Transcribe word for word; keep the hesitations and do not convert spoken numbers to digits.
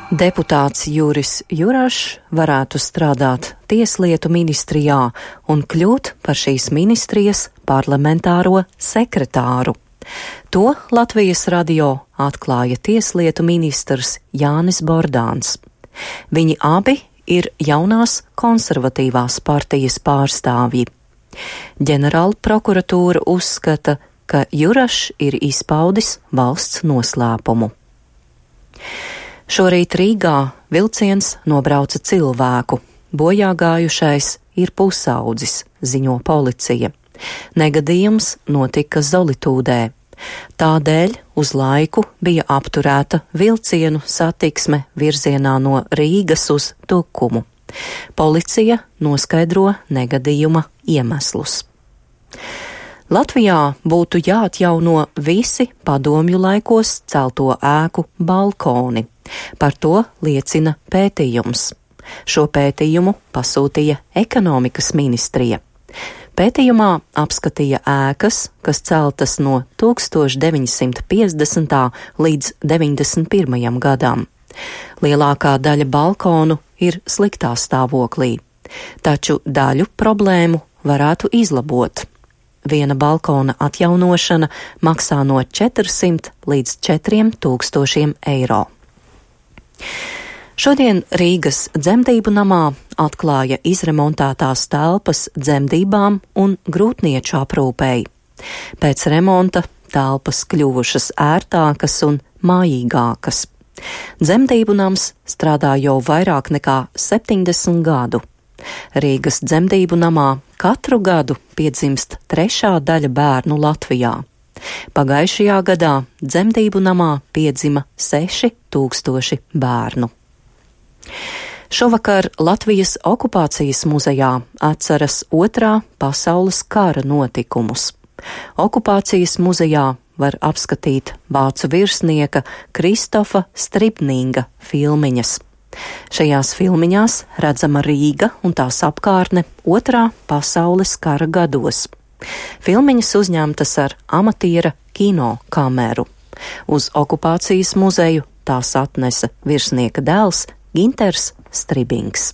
Deputāts Juris Jurašs varētu strādāt Tieslietu ministrijā un kļūt par šīs ministrijas parlamentāro sekretāru. To Latvijas radio atklāja Tieslietu ministrs Jānis Bordāns. Viņi abi ir jaunās konservatīvās partijas pārstāvji. Ģenerāla prokuratūra uzskata, ka Jurašs ir izpaudis valsts noslēpumu. Šorīt Rīgā vilciens nobrauca cilvēku. Bojā gājušais ir pusaudzis, ziņo policija. Negadījums notika Zolitūdē. Tādēļ uz laiku bija apturēta vilcienu satiksme virzienā no Rīgas uz Tukumu. Policija noskaidro negadījuma iemeslus. Latvijā būtu jāatjauno visi padomju laikos celto ēku balkoni. Par to liecina pētījums. Šo pētījumu pasūtīja ekonomikas ministrija. Pētījumā apskatīja ēkas, kas celtas no tūkstoš deviņi simti piecdesmitā līdz deviņdesmit pirmajam gadam. Lielākā daļa balkonu ir sliktā stāvoklī, taču daļu problēmu varētu izlabot. Viena balkona atjaunošana maksā no četrsimt līdz četriem tūkstošiem eiro. Šodien Rīgas dzemdību namā atklāja izremontētās telpas dzemdībām un grūtnieču aprūpei. Pēc remonta telpas kļuvušas ērtākas un mājīgākas. Dzemdību nams strādā jau vairāk nekā septiņdesmit gadu. Rīgas dzemdību namā katru gadu piedzimst trešā daļa bērnu Latvijā. Pagājušajā gadā dzemdību namā piedzima seši tūkstoši bērnu. Šovakar Latvijas okupācijas muzejā atceras otrā pasaules kara notikumus. Okupācijas muzejā var apskatīt vācu virsnieka Kristofa Stribninga filmiņas. Šajās filmiņās redzama Rīga un tās apkārtne otrā pasaules kara gados. Filmiņas uzņemtas ar amatiera kino kameru. Uz okupācijas muzeju tās atnesa virsnieka dēls Ginters Stribings.